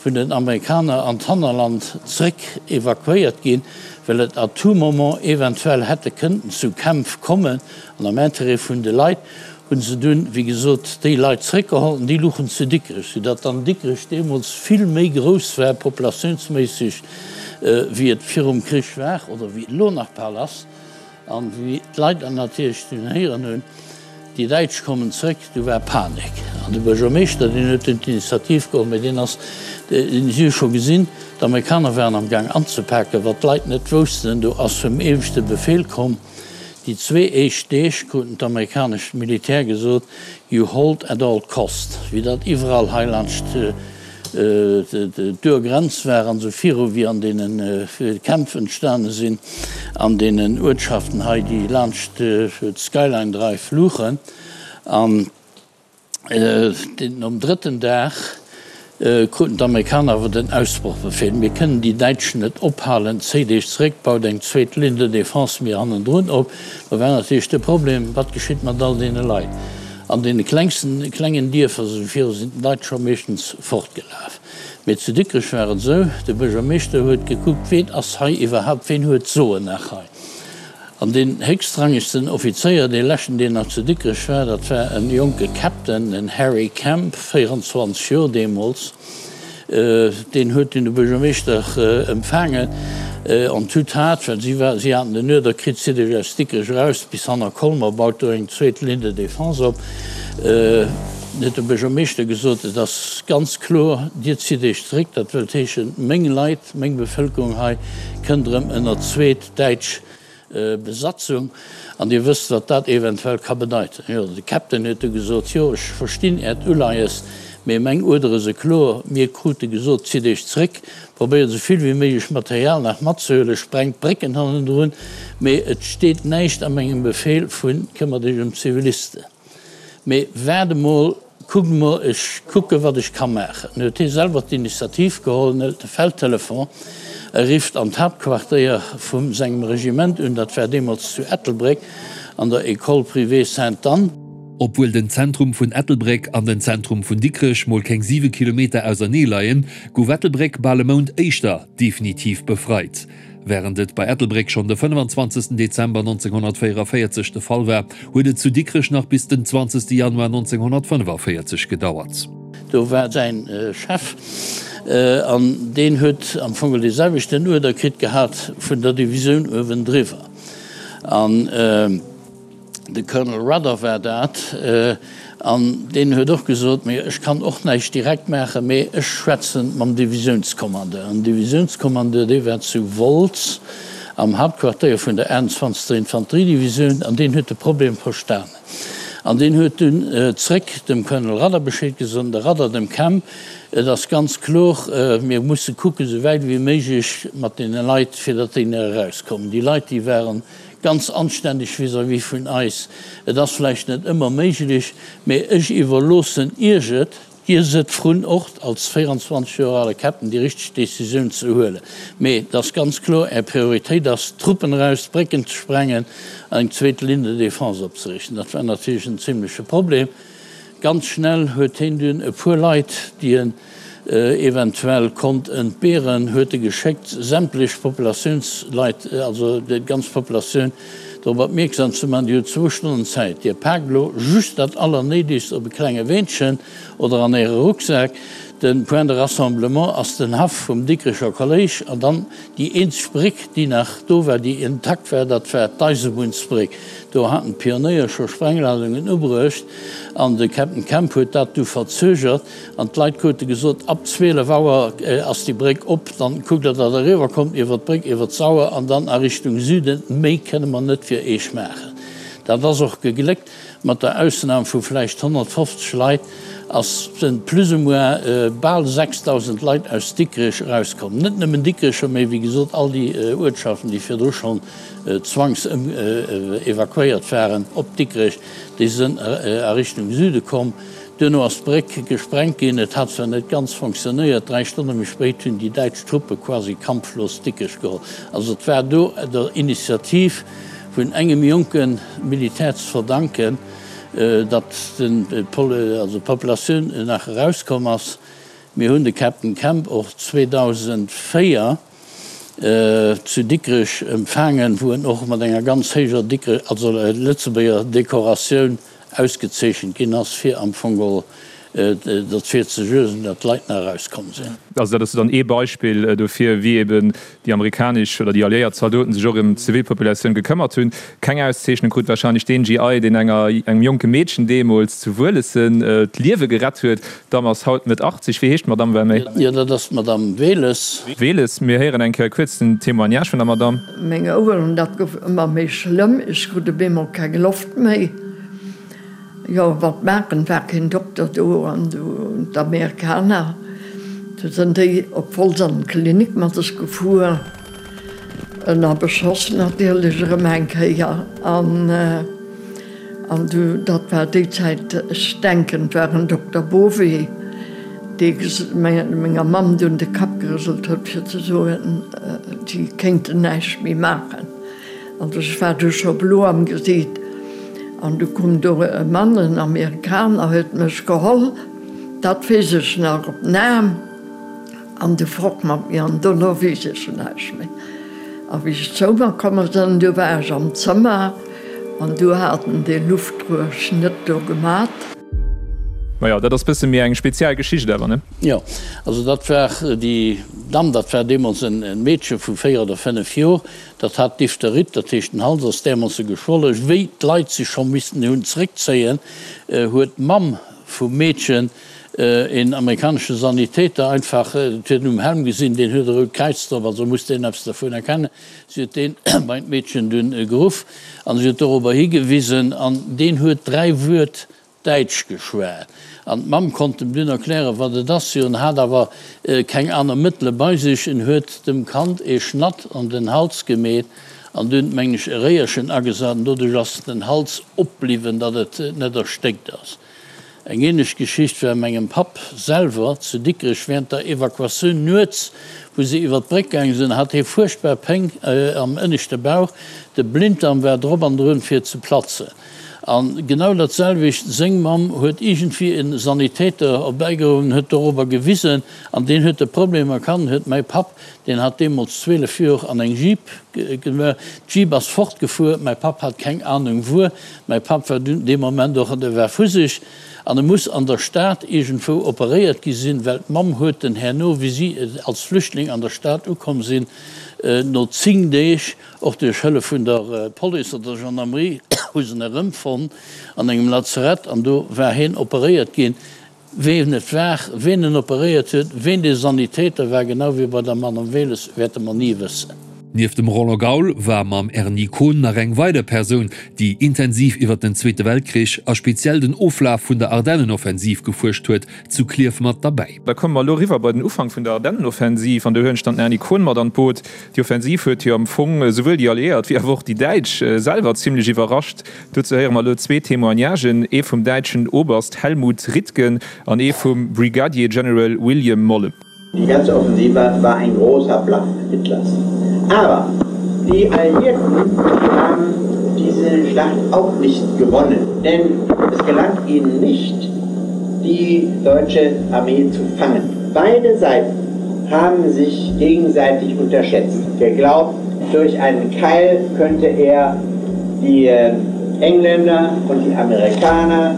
[SPEAKER 4] vun den Amerikaner an d'Hannerland zréck evakuéiert ginn, well et à tout moment eventuell hätte kënnten zu Kämpf kommen. An am Intérêt vun de Leit hu se dunn, wéi gesot, déi Leit zréckgeholl an déi luchen zu Dikrech, soudatt dann Dikrech deemools vill méi grouss war populatiounsméisseg, wéi et virum Krich war oder wéi et elo nach bal ass. An wéi d'Leit dann natierlech dunn héieren hunn, déi Däitsch kommen zréck, du war Panik. An de Buergermeeschter, deen huet dunn d'Initiativ geholl, mä deen ass, si hu scho gesinn, d'Amerikaner waren am Gaang anzepaken, wat d'Leit net woussten, do ass vum ieweschte Befehl komm, déi zwee éischt Deeg kruten d'amerikanescht Militär gesot, you hold at all cost, wéi dat iwwerall hei laanscht d'Urgrenz war an esou viru wéi an deene Kämpf entstane sinn an deenen Uertschaften hei, déi laanscht d'Skyline Drive luchen. An nom drëtten Dag kruten d'Amerikaner awer den Ausbrochbefehl, Mir kënnen déi Däitschen net ophalen, zéit Iech zeréck, baut eng zweet Ligne de défense méi hannendrun op. Da war natierlech de Problem, Wat geschitt mat all deene Leit? An deene klengsten, klengen Dierfer esou viru sinn d'Leit scho meeschtens fortgelaf. Mee zu Dikrech war et esou, de Buergermeeschter huet gekuckt, ween ass hei iwwerhaupt, ween huet d'Soen nach hei? An deen héchstrangegsten Offizéier, dee leschten, deen nach zu Dikrech war, dat war e jonke Captain, den Harry Kemp, 24 Joer deemools. Deen huet dunn de Buergermeeschter empfaangen en toute hâte, well si war, si haten den Uerder kritt, Zitt Iech aus Dikrech eraus bis hanner Colmer, baut do eng zweet Ligne de défense op. Huet de Buergermeeschter gesot, Et ass ganz kloer, Dir zitt Iech zeréck, dat wëllt heeschen, meng Leit, meng Bevëlkerung hei kënnt erëm ënner zweet däitsch Besatzung, an Dir wësst, wat dat eventuell ka bedeiten. Jo, de Captain huet du gesot, Jo, ech verstinn Äert Uleies, mee meng Uerdere se kloer. Mir krute gesot, Zitt Iech zréck, probéiert esou vill wéi méiglech Material nach matzehuelen, sprengt d'Brécken hannendrun, mee et steet näischt a mengem Befehl vu këmmert Iech ëm d'Zivilisten. Mee waart emol, kuckt emol, ech kucke wat ech ka maachen. Dann huet hie selwer d'Initiativ geholl, en hëlt de Feldtelefon, e rifft an d'Haaptquartéier vu sengem Regiment un, dat war deemools zu Ettelbréck an der École privée Sainte-Anne.
[SPEAKER 2] Obwuel den Zentrum vun Ettelbréck an den Zentrum vun Dikrech mol keng 7 Kilometer ausernee leien, gouf Ettelbréck bal e Mount éischter definitiv befreit. Wärend et bei Ettelbréck schonn de 25 Dezember 1944 de Fall war, huet et zu Dikrech nach bis den 20 Januar 1945 gedauert.
[SPEAKER 4] Do war säin Chef an deen huet am Fong dee selwechten Uerder kritt gehat vun der Divisioun uewendriwwer. An. De Colonel Rudder war dat, an deen huet och gesot, Mee ech kann och näischt direkt maachen, mee ech schwätze mam Divisiounskommandeur. An den Divisiounskommandeur, dee war zu Wolz am Hauptquartéier vun der 21. Infanteriedivisioun, an deen huet de Problem verstanen. An deen huet dunn zréck dem Colonel Rudder Bescheed gesot, an de Rudder dem Kemp, Et ass ganz kloer, mir musse kucken, esou wäit ewéi méiglech mat deene Leit, fir datt déi nach erauskommen. Déi Leit, déi waren Ganz anständeg vis-à-vis vun eis. Et ass vläicht net ëmmer méiglech, mee ech iwwerloossen Iech et, Dir sidd vrun och als 24 Joer ale Captain déi richteg Décisioun ze huelen. Mee et ass ganz kloer, Är Prioritéit ass, d'Truppen eraus, d'Brécken ze sprengen an eng zweet Ligne de défense opzeriichten. Dat war natierlech en zimleche Problem. Ganz schnell huet heen dunn e puer Leit, déi en eventuell konnt entbeeren, huet e geschéckt, sämtlech Populatiounsleit, also déi ganz Populatioun, drop opmierksam ze maachen, Dir hutt zwou Stonnen Zäit, Dir paakt elo just dat Allernéidegst op e klenge Weenchen oder an Äre Rucksak. De Point de rassemblement ass den Haff vum Dikrecher Kolléisch an dann déi eenzeg Bréck, déi nach do war, déi intakt war, dat war d'Eisebunnsbréck. Do haten d'Pionéier scho Sprengladungen ubruecht an de Captain Kemp huet dat du verzögert an d'Leit krute gesot, ab 12 Auer ass déi Bréck op, dann kuckt der, datt der eriwwer kommt iwwer d'Bréck, iwwer d'Sauer an dann a Richtung Süden, méi kënne mer net fir Eech maachen. Dat ass och gegléckt, mat der Ausnam vu vläicht 150 Leit ass sënn plus ou moins bal 6.000 Leit aus Dikrech erauskomm. Net nëmmen Dikrecher, mee wéi gesot all déi Uertschaften, déi virdru schonn zwangsevakuéiert waren op Dikrech, déi sënn a Richtung Süde komm. Duerno ass d'Bréck gesprengt ginn. Et hat zwar net ganz fonctionnéiert, 3 Stonne méi spéit hunn déi däitsch Truppe quasi kampflos Dikrech geholl. Also et war do der Initiativ vun engem jonke Militär ze verdanken, datt d'Populatioun nach erauskomm ass. Mir hunn de Captain Kemp och 2004 zu Dikrech empfaangen, wou en och mat enger ganz héijer Dikrech, also Lëtzebuerger Dekoratioun ausgezeechent ginn ass, fir am Fong geholl derfir ze suergen, datt d'Leit nach erauskomm sinn.
[SPEAKER 3] Also dat ass dann ee Beispill dofir, wéi eben déi amerikanesch oder déi alliéiert Zaldoten sech och ëm d'Zivilpopulatioun gekëmmert hunn. Keng Auszeechnung krut warscheinlech deen GI, deen enger, engem jonke Meedchen deemools zu Wuelessen d'Liewe gerett huet. D'Damm ass haut Mëtt 80. Wéi heescht d'Madamm Vermey?
[SPEAKER 4] Jo, dat ass d'Madamm Wehles.
[SPEAKER 3] Wehles. Mir héieren eng Kéier kuerz den Témoignage vun der Madamm.
[SPEAKER 5] Meng Oueren, dat gouf ëmmer méi schlëmm, ech krut op eemol keng Loft méi. Jo, wat maachen, war keen Dokter do an du d'Amerikaner, du sënn déi op Wolz an d'Klinik mat sech gefuer, ënner Beschoss natierlech erëm eng Kéier an an du, dat war déi Zäit, ech denken et war en Dokter Bové, dee menger Mamm dunn de Kapp gerëselt huet fir ze soen, si kéinten näischt méi maachen. Also ech war du scho blo am Gesiit an du koum do e Mann, en Amerikaner, huet mech geholl, dat weess ech nach, op den Aarm an du fort mat mir an dono weess ech näischt méi. A wéi ech zou mer komme sënn, du war ech am Zëmmer an du hat en dee Luftruerschnëtt do gemat.
[SPEAKER 3] Majo, dat ass bësse méi eng speziell Geschicht awer, ne?
[SPEAKER 4] Jo, also dat war déi Damm, dat war deemools en Meedche vu 4 oder 5 Jor, Dat hat Diphtherit, dat heescht den Hals ass därmoosse geschwollen. Wéi d'Leit sech scho missten hunn zréckzéien, huet d'Mamm vum Meedchen een amerikanesche Sanitäter einfach, et huet een um Helm gesinn, deen huet e rout Kräiz drop, also muss deen eppes dervun erkennen, si huet deen bei d'Meedchen dunn geruff an si huet dorobber higewisen an deen huet 3 Wuert Däitsch geschwat an d'Mamm konnt em dunn erklären, wat et ass. Jo, en hat awer keng aner Mëttele bei sech. En huet dem Kand ee Schnatt an den Hals gemeet an dunn, mengen ech, e Réierchen agesat an doduerch ass den Hals opbliwwen, datt et net erstéckt ass. Eng ähnlech Geschicht war mengem Papp selwer zu Dikrech während der Evakuatioun nuets, wou se iwwer d'Bréck gaange sinn, hat hie fuerchtbar Péng am ënneschte Bauch, de Blinddarm war drop an drun fir ze platzen. An genau dat selwecht, seng Mamm huet iergendwéi en Sanitäter erbäigeruff, huet dorobber gewisen an deen huet de Problem erkannt, huet mäi Papp, deen hat deemools 12 Jor, an eng Jeep gemaach. D'Jeep ass fortgefuer, mäi Papp hat keng Ahnung wuer. Mäi Papp war dunn dee Moment och, e war vu sech an e muss an der Stad iergendwou operéiert gi sinn, well d'Mamm huet en herno, wéi si als Flüchtling an der Stad ukomm sinn, no 10 Deeg, och duerch Hëllef vun der Police oder der Gendarmerie. hu se en erëmfonnt an engem Lazarett an do war hien operéiert ginn. Ween et war, ween en operéiert huet, ween dee Sanitäter war, genau wéi bei der Manon Wehles, wäerte mer ni wëssen.
[SPEAKER 2] Nieft dem Roland Gaul war mam Erny Kohn nach eng weider Persoun, déi intensiv iwwer den Zweete Weltkrich a speziell den Oflaf vun der Ardennenoffensiv gefuerscht huet, zu Klierf mat derbäi.
[SPEAKER 3] Da komme mer elo eriwwer bei den Ufank vun der Ardennenoffensiv an do huelen ech dann den Erny Kohn mat an d'Boot. Déi Offensiv huet jo am Fong esouwuel déi Alliéiert wéi awer och déi Däitsch selwer zimlech iwwerrascht. Dozou héiere mer elo zwee Témoignagen, ee vum däitschen Oberst Helmut Ritgen an ee vum Brigadier General William Molle.
[SPEAKER 6] Die ganze Offensive war ein großer Bluff Hitlers. Aber die Alliierten haben diese Schlacht auch nicht gewonnen, denn es gelang ihnen nicht, die deutsche Armee zu fangen. Beide Seiten haben sich gegenseitig unterschätzt. Geglaubt, durch einen Keil könnte er die äh, Engländer und die Amerikaner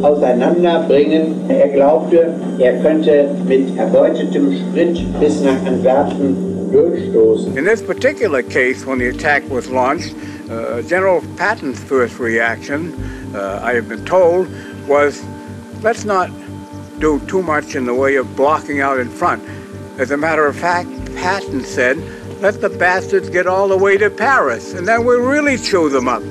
[SPEAKER 6] auseinanderbringen. Er glaubte, er könnte mit erbeutetem Sprit bis nach Antwerpen durchstoßen.
[SPEAKER 7] In this particular case, when the attack was launched, uh, General Patton's first reaction, uh, I have been told, was let's not do too much in the way of blocking out in front. As a matter of fact, Patton said, let the bastards get all the way to Paris, and then we'll really chew them up.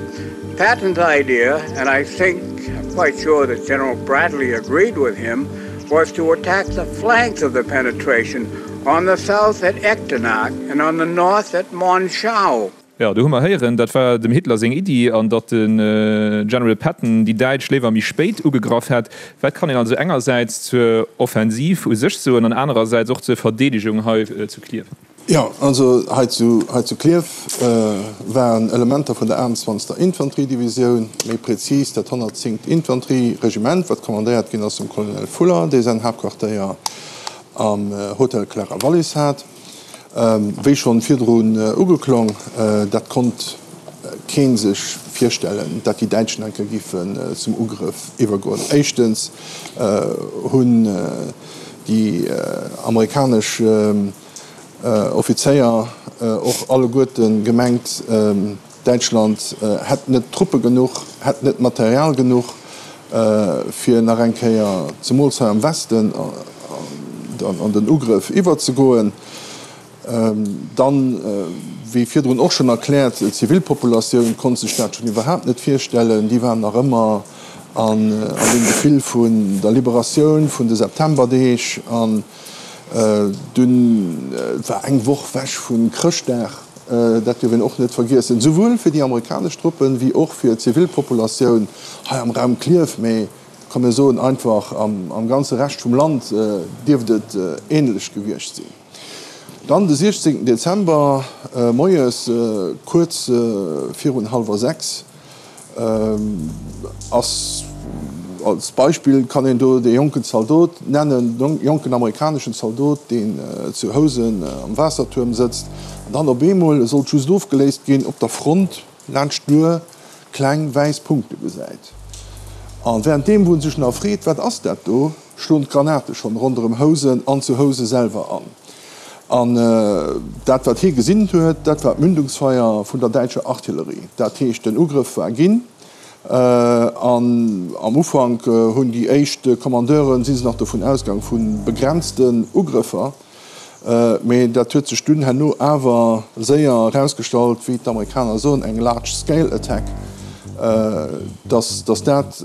[SPEAKER 7] Patton's idea, and I think I'm quite sure that General Bradley agreed with him, was to attack the flanks of the penetration on the south at Echternach and on the north at Monschau.
[SPEAKER 3] Jo, do hu mer héieren, dat war dem Hitler seng Iddi an datt de General Patton déi Däitsch léiwer méi spéit ugegraff hätt. Wat kann een also engersäits zur Offensiv u sech soen an anerersäits och zur Verdeedegung hei zu Klierf?
[SPEAKER 8] Jo, also hei zu hei zu Klierf waren Elementer vun der 28. Infanteriedivisioun, méi prezis dat 110. Infanterieregiment, wat kommandéiert ginn ass vum Colonel Fuller, dee säin Haaptquartéier am Hotel Clara Wallis hat. Wéi schonn virdrun ugeklong, dat konnt kee sech virstellen, dat déi Däitschen eng Kéier giffen zum Ugrëff iwwergoen. Éischtens hunn déi amerikanesch Offizéier och alleguerte gemengt, Däitschland hätt net Truppe genuch, hätt net Material genuch, fir nach eng Kéier, zemools hei am Westen, an den Ugrëff iwwerzegoen. Dann, wéi virdrun och schonn erkläert, d'Zivilpopulatioun konnt sech dat schonn iwwerhaapt net virstellen. Déi waren nach ëmmer an deem Gefill vun der Liberatioun, vun de Septemberdeeg. An dunn war eng Woch wech vu Chrëschtdag. Dat dierf een och net vergiessen, souwuel fir déi amerikanesch Truppen, wéi och fir d'Zivilpopulatioun hei am Raum Klierf, mee komm mir soen einfach am ganze Rescht vum Land dierft et ähnlech gewiescht sinn. Dann de 16 Dezember moies kuerz virun hallwer 6 Ass, als Beispill kann een do dee jonken Zaldot nennen, de jonken amerikaneschen Zaldot, deen zu Housen am Waassertuerm sëtzt an dann op eemol, e sollt just ofgeléist ginn, op der Front laanscht d'Luer kleng wäiss Punkte gesäit. A wärenddeem wou en sech nach freet, wat ass dat do, schloen d'Granate schonn ronderëm Housen an zu Housen selwer an. An dat, wat hie gesinn huet, dat war d'Mündungsfeier vun der däitscher Artillerie. Dat heescht, den Ugrëff war ginn. An am Ufank hunn déi éischt Commandeuren, si se nach dovun ausgaang vu begrenzten Ugrëffer. Mee dat huet sech dunn herno awer séier erausgestallt, wéi d'Amerikaner soen, eng large scale attack, dass dass dat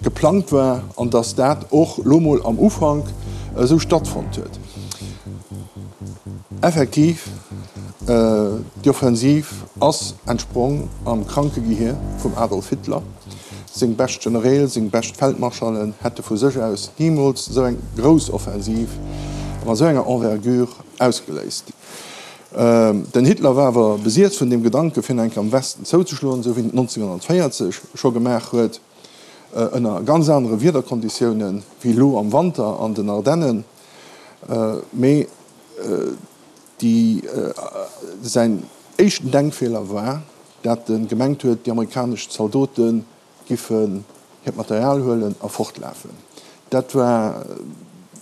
[SPEAKER 8] geplangt war an dass dat och lo mol am Ufank esou stattfonnt huet. Effektiv, déi Offensiv ass entsprong am kranke Gehier vum Adolf Hitler. Seng bescht Genereel, seng bescht Feldmarschallen hätte vu sech aus nimools esou eng grouss Offensiv an esou enger Envergure ausgeléist. Den Hitler war awer besiess vun deem Gedanke fir nach eng Kéier am Westen zouzeschloen, esou wéi en et 1940 scho gemaach huet, ënner ganz anere Wiederkonditiounen wéi elo am Wanter an den Ardennen. Mee déi säin éischten Denkfeeler war, dat e gemengt huet, déi amerikanesch Zaldote giffen hiert Material huelen a fortlafen. Dat war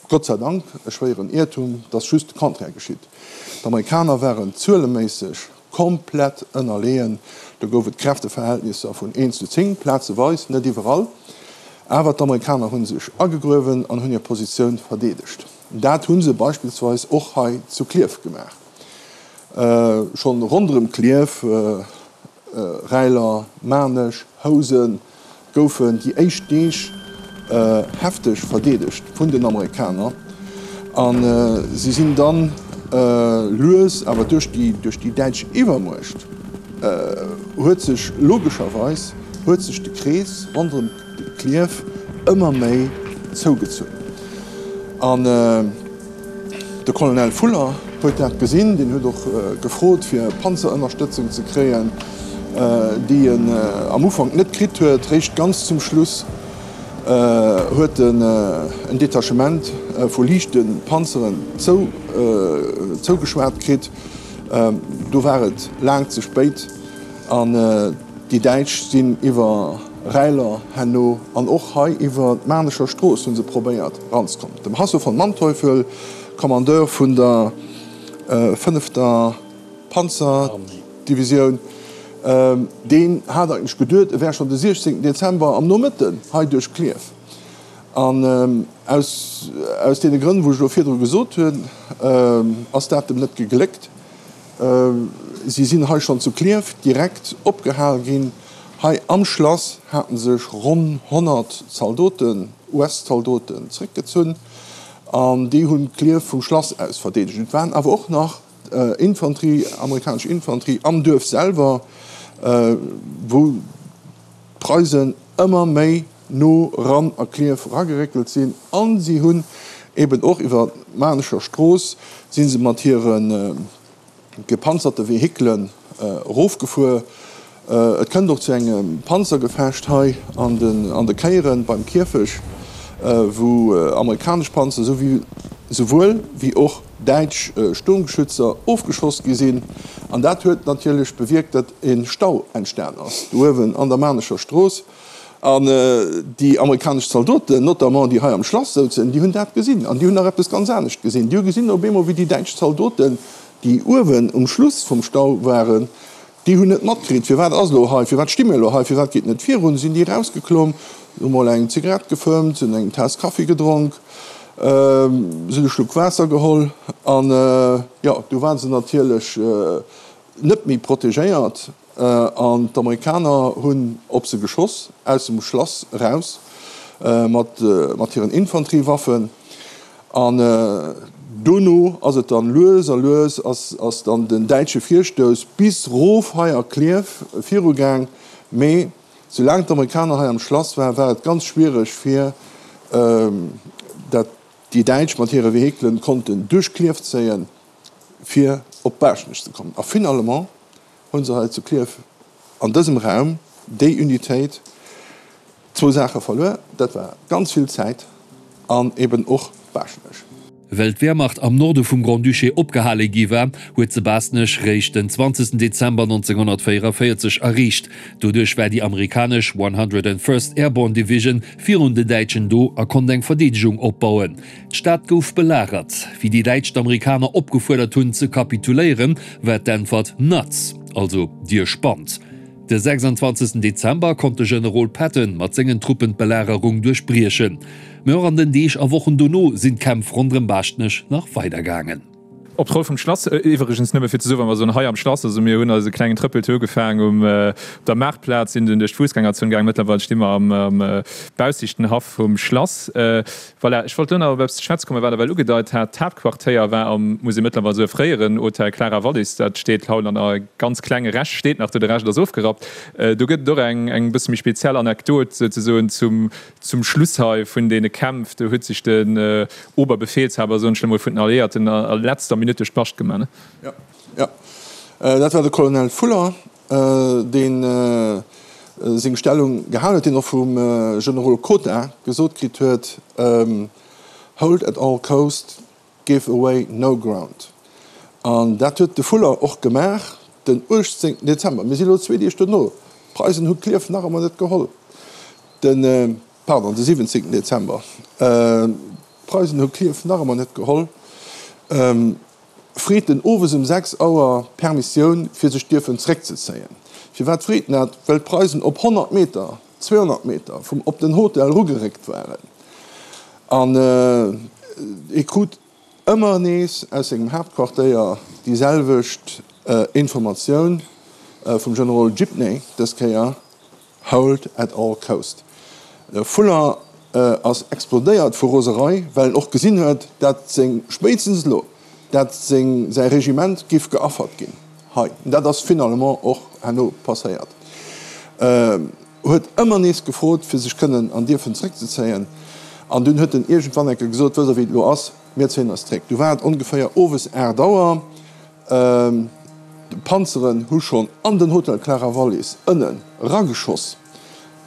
[SPEAKER 8] Gott sei Dank e schwéieren Iertum, et ass just de Contraire geschitt. D'Amerikaner waren zueleméisseg. komplett ënnerleeën. Do gouf et Kräfteverhältnisser vun 1 zu 10, plazeweis, net iwwerall. Awer d'Amerikaner hu sech agegruewen an hunn hir Positioun verdeedegt. Dat hu se beispillsweis och hei zu Klierf gemaach. Schonn ronderëm Klierf, Räiler, Maarnech, Housen, goufen déi éischt Deeg hefteg verdeedegt vun den Amerikaner a si sinn dann lues awer duerch déi duerch déi däitsch Iwwermuecht huet sech logescherweis huet sech de Krees ronderëm Klierf ëmmer méi zougezunn an De Colonel Fuller huet dat gesinn, deen huet och gefrot fir Panzerënnerstëtzung ze kréien, déi en am Ufank net kritt huet. Réischt ganz zum Schluss huet en en Detachement vu liichte Panzeren zougeschwat kritt. Do war et laang ze spéit an déi Däitsch sinn iwwer Räiler herno an och hei iwwer d'Maarnecher Strooss hu se probéiert ranzekommen. Dem Hasso von Manteuffel, Kommandeur vun der fënnefter Panzerdivisioun, deen hat eigentlech geduet, e wär schonn de 16 Dezember am Nomëtten hei duerch Klierf. An aus aus deene Grënn, wou ech elo virdru gesot hunn, ass dat em net gegléckt. Si sinn hei schonn zu Klierf direkt opgehal ginn. Hei am Schlass haten sech ronn 100 Zaldoten, US-Zaldoten, zeréckgezunn an déi hunn Klierf vum Schlass aus verdeedegt. Et waren awer och nach Infanterie, amerikanesch Infanterie am Duerf selwer, wou d'Preisen ëmmer méi no ran a Klierf erageréckelt sinn an si hunn eben och iwwer d'Maarnecher Strooss si se mat hire gepanzerte Vehikelen erofgefuer. Et kënnt och zu engem Panzergefecht hei an de Kéieren beim Kierfech, wou amerikanesch Panzer souwuel wéi och däitsch Sturmgeschützer ofgeschoss gi sinn. An dat huet natierlech bewierkt, datt e Stau entstan ass do uewen an der Maarnecher Strooss. An déi amerikanesch Zaldoten, notamment déi hei am Schlass souzen, déi hunn dat gesinn. An déi hunn nach eppes ganz anescht gesinn. Déi hu gesinn op eemol, wéi déi däitsch Zaldoten, déi uewen um Schluss vum Stau waren, déi hunn net matkritt, firwat ass elo hei, firwat sti mir elo hei, firwat geet net virun. Sinn déi erausgeklomm, hu mol eng Zigarett gefëmmt, hunn eng Taass Kaffi gedronk, sinn e Schluck Waasser geholl. An jo, du ware se natierlech net méi protegéiert. An d'Amerikaner hunn op se geschoss, aus dem Schlass eraus, mat hiren Infanteriewaffen. An dono ass et dann lues a lues ass dann den däitsche Virstouss bis rof hei a Klierf virugaang. Mee soulaang d'Amerikaner hei am Schlass waren, war et ganz schwiereg fir dat déi Däitsch mat hire Vehikelen konnten duerch Klierf zéien, fir op Baaschtnech ze kommen. A finalement hu se hei zu Klierf an dësem Raum déi Unitéit zwou Saache verluer, dat war ganz vill Zäit an eben och Baaschtnech.
[SPEAKER 2] Well d'Wehrmacht am Norde vum Grand-Duché opgehale gi war, huet se Baaschtnech réischt den 20 Dezember 1944 erreecht. Doduerch war déi amerikanesch 101st Airborne Division virun den Däitschen do a konnt eng Verdeedegung opbauen. D'Stad gouf belagert. Wéi déi Däitsch d'Amerikaner opgefuerdert hunn ze kapituléieren, war d'Äntwert Nuts, also Dir spannt. De 26 Dezember konnt de Generol Patton mat sengen Truppen d'Belagerung duerchbriechen. Mä och an den Deeg a Wochen dono sinn d'Kämpf ronderëm Baaschtnech nach weidergaangen.
[SPEAKER 3] Op d'Roll vum Schlass, iwwregens nëmme fir ze soen, wa mer soen hei am Schlass, also mir hunn eise klengen Trëppeltour ugefaangen um op der Maartplaz, sinn dunn duerch d'Fussgängerzon gaangen, mëttlerweil sti mer am baussichten Haff vum Schlass. Voilà, ech wollt elo nach op eppes ze schwätze kommen, wat Der well ugedeit hat. D'Haaptquartéier war am, muss ee mëttlerweil soen, fréieren Hotel Clara Wallis, dat steet haut an e ganz klenge Rescht steet nach do, de Rescht ass ofgerappt. Do gëtt et och eng eng bësse méi speziell Anekdot souzesoen zum Zum Schluss hei vun deene Kämpf, do huet sech den Oberbefehlshaber, soen ech elo mol, vun den Alliéierten a letzter Minutt duerch d'Bascht gemaach.
[SPEAKER 8] Jo, jo, dat war de Colonel Fuller, dee seng Stellung gehalen huet, deen och vum Generol Cota gesot kritt huet, Hold at all cost, give away no ground. An dat huet de Fuller och gemaach den 18 Dezember. Mir si lo zwee Deeg dono, d'Preisen hu Klierf nach ëmmer net geholl. Den, pardon, de 17 Dezember. D'Preisen hu Klierf nach ëmmer net geholl. Freet en owes um 6 Auer Permissioun fir sech dierfen zréckzezéien. Firwat freet en dat? Well d'Preisen op 100 Meter, 200 Meter vum op den Hotel erugeréckt waren an e krut ëmmer nees aus sengem Haaptquartéier déi selwecht Informatioun vum Generol Gibney dës Kéier, Hold at all cost. De Fuller ass explodéiert vu Roserei, well en och gesinn huet, dat seng, spéitstens elo, dat seng, säi Regiment giff geaffert ginn hei. Dat ass finalement och herno passéiert. Huet ëmmer nees gefrot, fir sech kënnen an dierfen zréckzezéien. An dunn huet en iergendwann eng Kéier gesot, Wësst Der, wéi et elo ass? Mir zéien eis zréck. Du war et ongeféier owes 8 Auer. D'Panzeren hu schonn an den Hotel Clara Wallis ënnen rageschoss.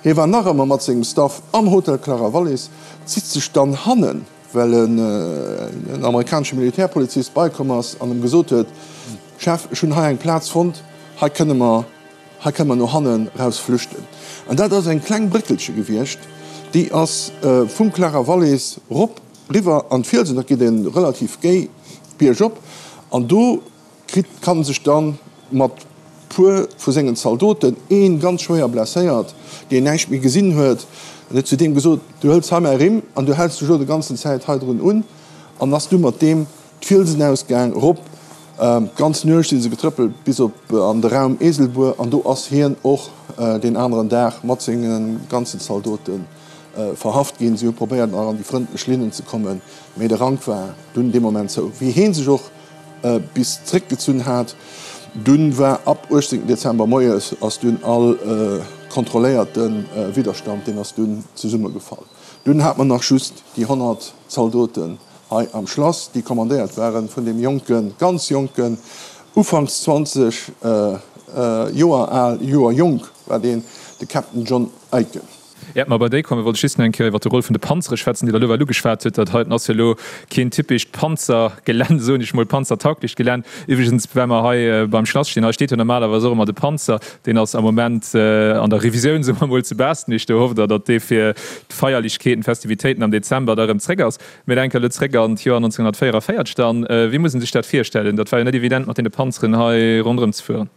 [SPEAKER 8] Hie war nach ëmmer mat sengem Staff am Hotel Clara Wallis, zitt sech dann hannen, well en amerikanesche Militärpolizist beikomm ass an em gesot huet, Chef, ech hunn hei eng Plaz fonnt, hei kënne mer, hei kënne mer no hannen raus flüchten. An dat ass eng kleng Bréckelche gewiescht, déi ass vum Clara Wallis rop Riwwer an d'Fielsen, dat geet e relativ géi biergop, an do kritt, kann sech dann mat puer vu sengen Zaldoten, een ganz schwéier blesséiert, deen näischt méi gesinn huet, en huet zu deem gesot, du hëls hei mäi Rimm an du häls dech elo de ganzen Zäit hei drun un, an ass du mat deem d'Fielsen ausgaang, erop, d'ganz Nuecht si se getrëppelt bis op an de Raum Eselbuer, an do ass hien och deen aneren Dag mat senge ganzen Zaldoten verhaft ginn. Si hu probéiert nach an déi frëndlech Linnen ze kommen, mee de Rank war dunn dee Moment zou. Wéi hee sech och bis zréckgezunn hat, dunn war ab 18 Dezember moies ass dunn all kontrolléierte Widderstand, deen ass dunn zesummegefall. Dunn hat mer nach just déi 100 Zaldoten hei am Schlass, déi kommandéiert waren vun deem jonken, ganz jonken, ufanks 20 Joer al, Joer jonk war deen, de Captain John Aiken.
[SPEAKER 3] Äert mer bei déi kommen, wollt ech just nach eng Kéier iwwert de Rôle vun de Panzere schwätzen, déi Der elo well ugeschwat hutt. Dat heiten ass jo elo keen typescht Panzergelänn, soen ech mol, panzertauglecht Gelänn. Iwwregens, well mer hei beim Schlass stinn, hei steet jo normalerweis och ëmmer de Panzer, deen ass am Moment an der Revisioun, soe mer mol, zu Baastnech. Do hofft Der, datt dee fir d'Feierlechkeeten, d'Festivitéiten am Dezember da erëm zréck ass. Mir denken elo zréck an d'Joer 1944 dann. Wéi muss een sech dat virstellen? Dat war jo net evident, mat deene Panzeren hei ronderëm ze fueren.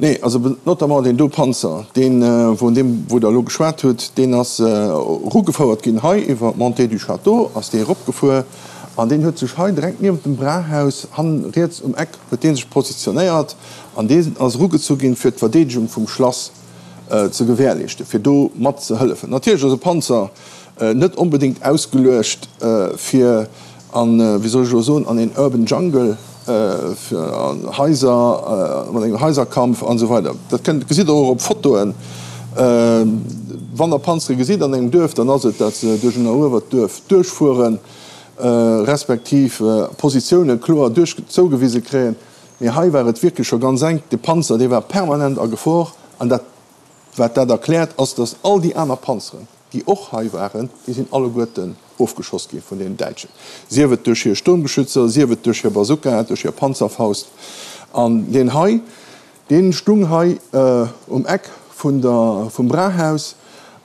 [SPEAKER 8] Nee, also notamment deen do Panzer, deen, vun deem wou Der elo geschwat hutt, deen ass erugefouert ginn hei iwwer d'Montée du Château ass dee eropgefuer an deen huet sech hei direkt niewent dem Brauhaus, hannen riets um Eck, huet dee sech positionéiert an deen ass erugezu ginn, fir d'Verdeedegung vum Schlass ze gewährleeschten, fir do mat ze hëllefen. Natierlech ass e Panzer net onbedéngt ausgeluecht fir an, wéi soll ech elo soen, an een urban jungle, fir an Haiser, mat engem Haiserkampf an esou weider. Dat kënnt, gesitt Der och op Fotoen. Wann Der Panzere gesitt an engem Duerf, dann ass et, dat se duerch en eruewert Duerf duerchfueren, respektiv Positioune kloer duerch zougewise kréien. Mee hei war et wierklech scho ganz enk. De Panzer, dee war permanent a Gefor. An dat, wat dat erkläert, ass, datt all déi aner Panzeren, déi och hei waren, déi sinn alleguerten ofgeschoss gi vun den Däitschen, sief et duerch hir Sturmgeschützer, sief et duerch hir Bazooka, duerch hir Panzerfaust. An deen hei, dee stung hei um Eck vun der, vum Brauhaus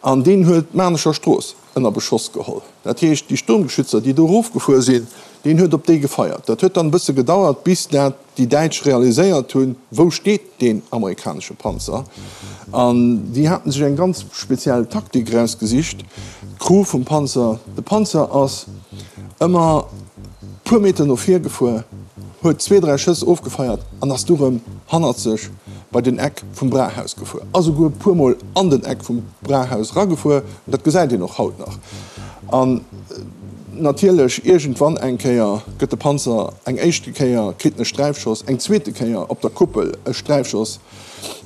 [SPEAKER 8] an deen huet d'Maarnecher Strooss ënner Beschoss geholl. Dat heescht, déi Sturmgeschützer, déi do erofgefuer sinn, deen huet op déi gefeiert. Dat huet dann e bësse gedauert, bis dat déi Däitsch realiséiert hunn, wou steet deen amerikanesche Panzer. An déi haten sech eng ganz speziell Taktik erausgesicht, d'Crew vum Panzer, de Panzer ass ëmmer puer Meter no vir gefuer, huet zwee, dräi Schëss ofgefeiert an ass du rëm hannerzeg bei den Eck vum Brauhaus gefuer, a souguer e puermol an den Eck vum Brauhaus eragefuer. Dat gesäit een och haut nach. An natierlech, iergendwann eng Kéier gëtt de Panzer eng éischte Kéier, kritt en e Sträifschoss, eng zweete Kéier op der Kuppel e Sträifschoss,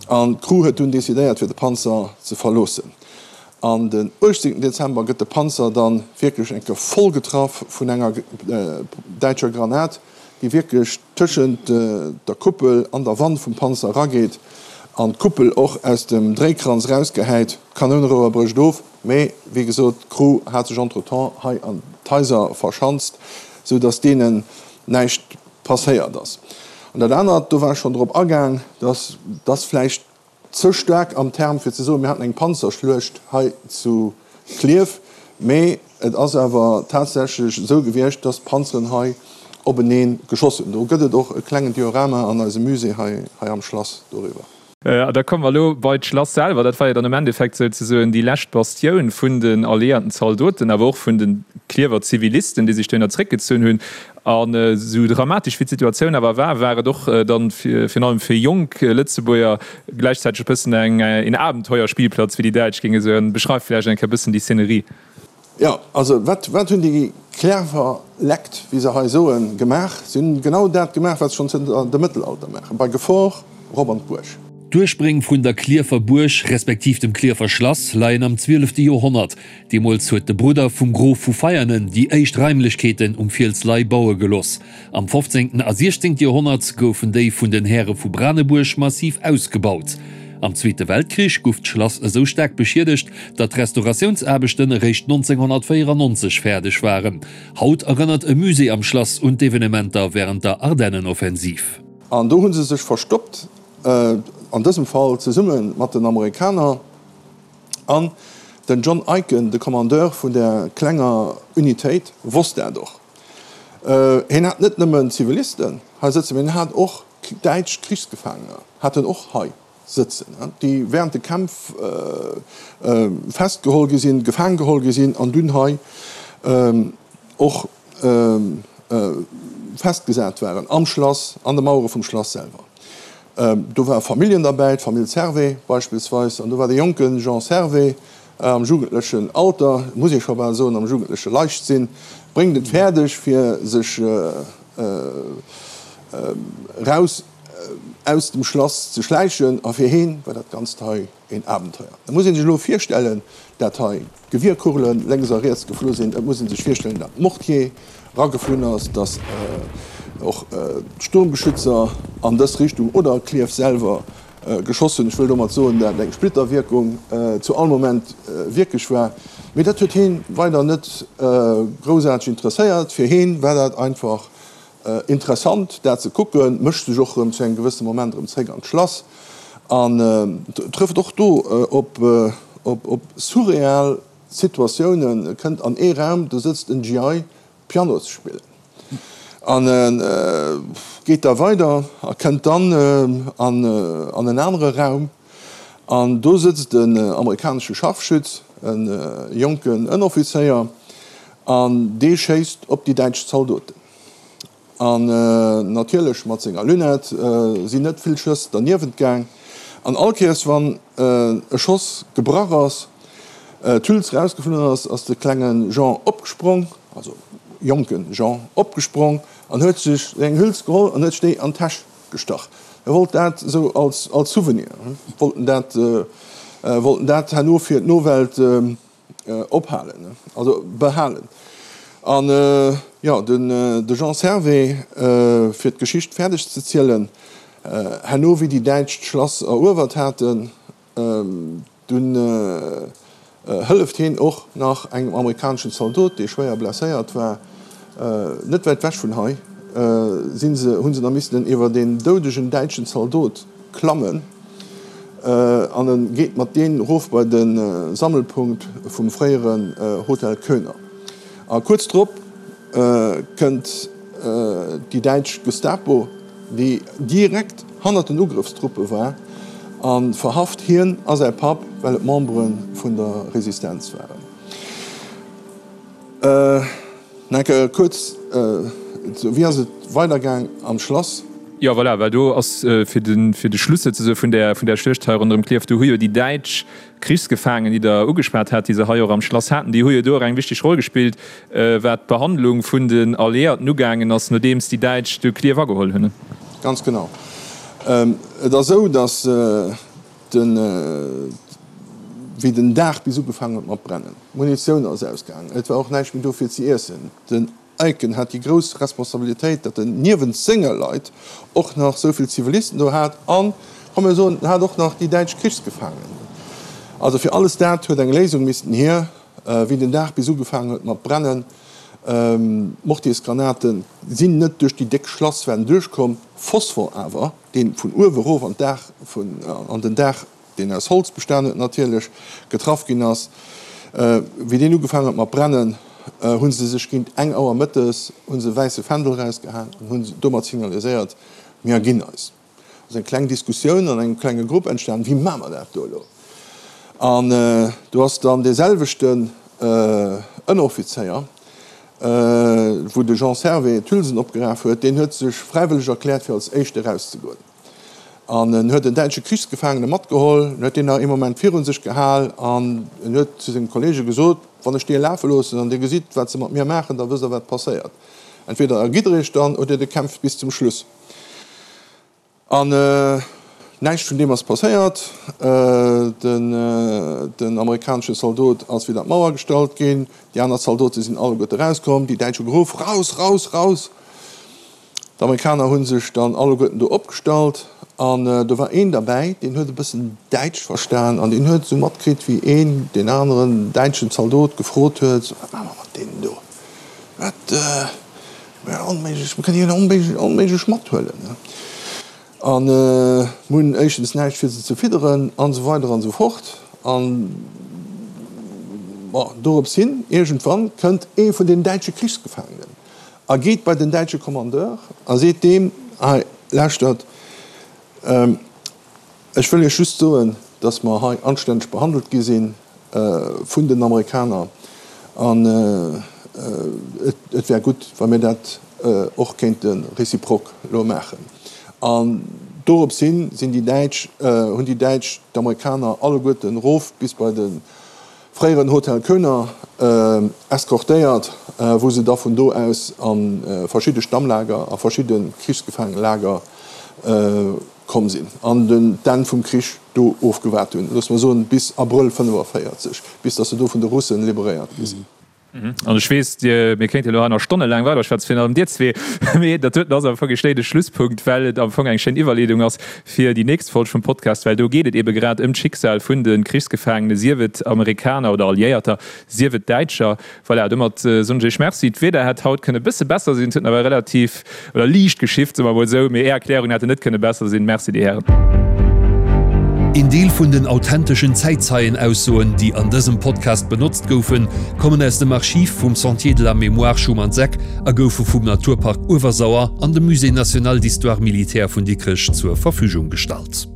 [SPEAKER 8] an d'Crew huet dunn decidéiert, fir de Panzer ze verloossen. An den 18 Dezember gëtt de Panzer dann wierklech eng Kéier voll getraff vun enger däitscher Granat, déi wierklech tëschent der Kuppel an der Wand vum Panzer erageet an d'Kuppel och aus dem Dréikranz erausgehäit. D'Kanounenrouer brécht of, mee wéi gesot, d'Crew hat sech entretemps hei an d'Haiser verschanzt, sou datt deenen näischt passéiert ass. An dat anert, do war ech schonn drop agaang, datt ass vläicht ze staark am Term fir ze soen, mir haten eng Panzerschluecht hei zu Klierf, mee et ass awer tatsächlech esou gewiescht, dass d'Panzeren hei. openeen geschoss hunn. Do gëtt et och e klengen Diorama an eisem Musée hei am Schlass doriwwer.
[SPEAKER 3] A da komme mer elo bei d'Schlass selwer. Dat war jo dann am Endeffekt souzesoen déi lescht Bastioun vun den alliéierten Zaldoten, awer och vun de Klierwer Zivilisten, déi sech dohinner zréckgezunn hunn. An esou dramatesch wéi d'Situatioun awer war, war et och dann virun allem fir jonk Lëtzebuerger gläichzäiteg e bëssen eng een Abenteuerspielplatz, wéi déi Däitsch géinge soen. Beschreif vläicht eng Kéier e bëssen déi Szenerie.
[SPEAKER 8] Jo, also wat, wat hunn déi clever Lekt, wéi se hei soen, gemaach? Si hunn genau dat gemaach, wat se schonn zënter dem Mëttelalter maachen, bei Gefor rop an d'Buerg.
[SPEAKER 2] D'Urspréng vun der Klierfer Buerg, respektiv dem Klierfer Schlass, leien am zwielefte Joerhonnert. Deemools huet de Brudder vum Grof vu Veianen déi éischt Raimlechkeeten um Fiels Lay baue gelooss. Am fofzéngten a siechzéngte Joerhonnert goufen déi vun den Häre vu Branebuerg massiv ausgebaut. Am Zweete Weltkrich guff d'Schlass esou staark beschiedegt, datt d'Restauratiounsaarbechten eréischt 1994 fäerdeg waren. Haut erënnert e Musée am Schlass un d'Evenementer wärend der Ardennenoffensiv.
[SPEAKER 8] An do hu se sech verstoppt, an dësem Fall zesumme mat den Amerikaner. An den John Eiken, de Kommandeur vun där klenger Unitéit, wosst dat och. Hien hat net nëmmen Zivilisten hei sëtzen, mee hien hat och däitsch Krichsgefaangener hat en och hei sëtzen, déi während de Kämpf festgeholl gi sinn, gefaang geholl gi sinn an dunn hei och festgesat waren am Schlass, an de Mauere vum Schlass selwer. Do ware Familljen derbäi, d'Famill Servais beispillsweis, an do war de jonke Jean Servais am jugendlechen Alter, muss ee scho bal soen, am jugendleche Leichtsinn, bréngt et fäerdeg, fir sech raus aus dem Schlass ze schläichen, a fir heen war dat Ganzt hei een Abenteuer. Et muss ee sech elo virstellen, dat hei Gewierkugelen lénks a riets geflu sinn. Et muss ee sech virstellen, dat Mortier rageflunn ass, datt och d'Sturmgeschützer an dës Richtung oder Klierf selwer geschoss hunn. Ech wëll domat soen, dat eng Splitterwierkung zu all Moment wierklech war. Mee dat huet heen weider net groussaarteg interesséiert. Fir heen war dat einfach Interessant dat ze kucken, mécht sech och rëm zu engem gewësse Moment rëm zréck an d'Schlass an trëfft och do op surreal Situatiounen, kënnt an ee Raum, do sëtzt en GI Piano ze spillen an geet da weider a kënnt dann an en anere Raum an do sëtzt en amerikanesche Scharfschütz, e jonken Ënneroffizéier An dee schéisst op déi däitsch Zaldoten. An natierlech mat senger Lunette sinn net vill Schëss derniewent gaang. An all Kéiers wann e Schoss gebrach ass, d'Hüls rausgeflunn ass, ass de klenge Jean opgesprong, also jonke Jean opgesprong an huet sech eng Hüls geholl an huet sech déi an d'Täsch gestach. E wollt dat esou als Souvenir, wollt en dat, wollt en dat herno fir d'Nowelt Ophalen, also behalen. An jo, de Jean Servais, fir d'Geschicht fäerdeg ze zielen, herno wéi déi Däitsch d'Schlass eruewert haten, dunn hëlleft hien och nach engem amerikaneschen Zaldot, dee schwéier blesséiert war, net wäit wech vun hei sinn se, hu se da missten iwwer een doudegen däitschen Zaldot klammen. An e geet mat deen erof bei de Sammelpunkt vum fréieren Hotel Koener. A kuerz drop kënnt déi däitsch Gestapo, déi direkt hannert den Ugrëffstruppe war, a verhaft hien a säi Papp, well et Membere vun der Resistenz waren. Nach kuerz, Wéi ass et weidergaang am Schlass?
[SPEAKER 3] Jo, voilà, well do ass fir de fir de Schluss souzesoe vun där vun där Schluecht hei ronderëm Klierf, do hu jo déi däitsch Krichsgefaangen, déi Der ugeschwat hat, déi se hei och am Schlass haten, déi hu jo do och eng wichteg Roll gespillt, wat d'Behandlung vun den Alliéierten ugaangen ass, nodeems déi Däitsch du Klierf ageholl hunn.
[SPEAKER 8] Ganz genau. Et ass esou, datt den, wéi den Dag bis ugefaangen huet mat brennen, d'Munitioun ass ausgaangen, et war och näischt méi do fir ze iessen, den Eiken hat déi grouss Responsabilitéit, datt en niewent senge Leit och nach esou vill Zivilisten do hat an, komm mir soen, en hat och nach déi däitsch Krichsgefaangen. Also fir alles dat huet eng Léisung missten hier. Wéi den Dag bis ugefaangen huet mat brennen, d'Mortiersgranaten sinn net duerch déi déck Schlasswänn duerchkomm, Phosphor awer, dee vun uewe erof an d'Daach vun, an den Daach, deen aus Holz bestan huet natierlech, getraff ginn ass. Wéi deen ugefaangen huet mat brennen. hu se sech géint eng Auer mëttes hu se e wäisse Fändel erausgehaang an hunn domat signaliséiert, Mir erginn eis. Ass eng kleng Diskussioun an engem klenge Grupp entstanen, Wéi maache mer dat do elo? An do ass dann dee selwechten Ënneroffizéier, wou de Jean Servais d'Hülsen opgeraf huet, deen huet sech fräiwëlleg erkläert, fir als Éischte erauszegoen. An en huet en däitsche Krichsgefaangene matgeholl, en huet deen nach ee Moment virun sech gehal an en huet zu senge Kollege gesot, Wann ech dee lafe loossen an dir gesitt, wat se mat mir maachen, da wësst der, wat passéiert. Entweder ergitt der iech dann oder dir kämpft bis zum Schluss. An näischt vun deem ass passéiert. Den amerikanesche Zaldot ass widder d'Mauer gestallt ginn, déi aner Zaldote sinn alleguerte erauskomm, déi Däitsch hu geruff, Raus, raus, raus! D'Amerikaner hu sech dann alleguerten do opgestallt an do war een derbäi, deen huet e bëssen Däitsch verstan an deen huet esou matkritt, wéi een deen aneren däitschen Zaldot gefrot huet, So, wat maache mer mat deenen do? Wat, mir onméiglech, mir kënnen déi onméiglech mathuelen. A mir hunn éischtens näischt fir se ze fidderen an esou weider an esou fort. An, bon, dorops hin, iergendwann kënnt ee vun den däitsche Krichsgefaangenen A geet bei den däitsche Kommandeur a seet deem, Hei, lauschtert, ech wëll Iech just soen, datt mer hei anstänneg behandelt gi si vun den Amerikaner an et wär gutt, wa mir dat och kéinte réciproque elo maachen. An dorops hin sinn déi Däitsch, hunn déi Däitsch d'Amerikaner alleguerten erof bis bei de fréieren Hotel Koener eskortéiert, wou se da vun do aus a verschidde Stammlager a verschidde Krichsgefaangenlager komm sinn an den d'Enn vum Krich do ofgewaart hunn, loosse mer soen bis Abrëll 45, bis datt se do vun de Russen liberéiert gi sinn.
[SPEAKER 3] An ech weess, Dir, mir kéinte elo hei nach stonnelaang weiderschwätzen, virun allem Dir zwee, mee dat doten ass am Fong e schléine Schlusspunkt, well et am Fong eng schéin Iwwerleedung ass fir déi nächst Folg vum Podcast, well do geet et ebe grad ëm d'Schicksal vun de Krichsgefaangene, sief et Amerikaner oder Alliéierter, sief et Däitscher. Voilà, domat soen ech Iech Merci. D'Wieder hätt haut kënne bësse besser sinn, et huet nawell relativ, oder liicht geschifft, soe mer emol esou, mee Är Erklärungen hätten net kënne besser sinn. Merci, Dir Hären.
[SPEAKER 2] Een Deel vun den authenteschen Zäitzeienaussoen, déi an dësem Podcast benotzt goufen, kommen aus dem Archiv vum Sentier de la Mémoire Schumann-Seck a goufe vum Naturpark Uewersauer an dem Musée national d'histoire militaire vun Dikrech zur Verfügung gestallt.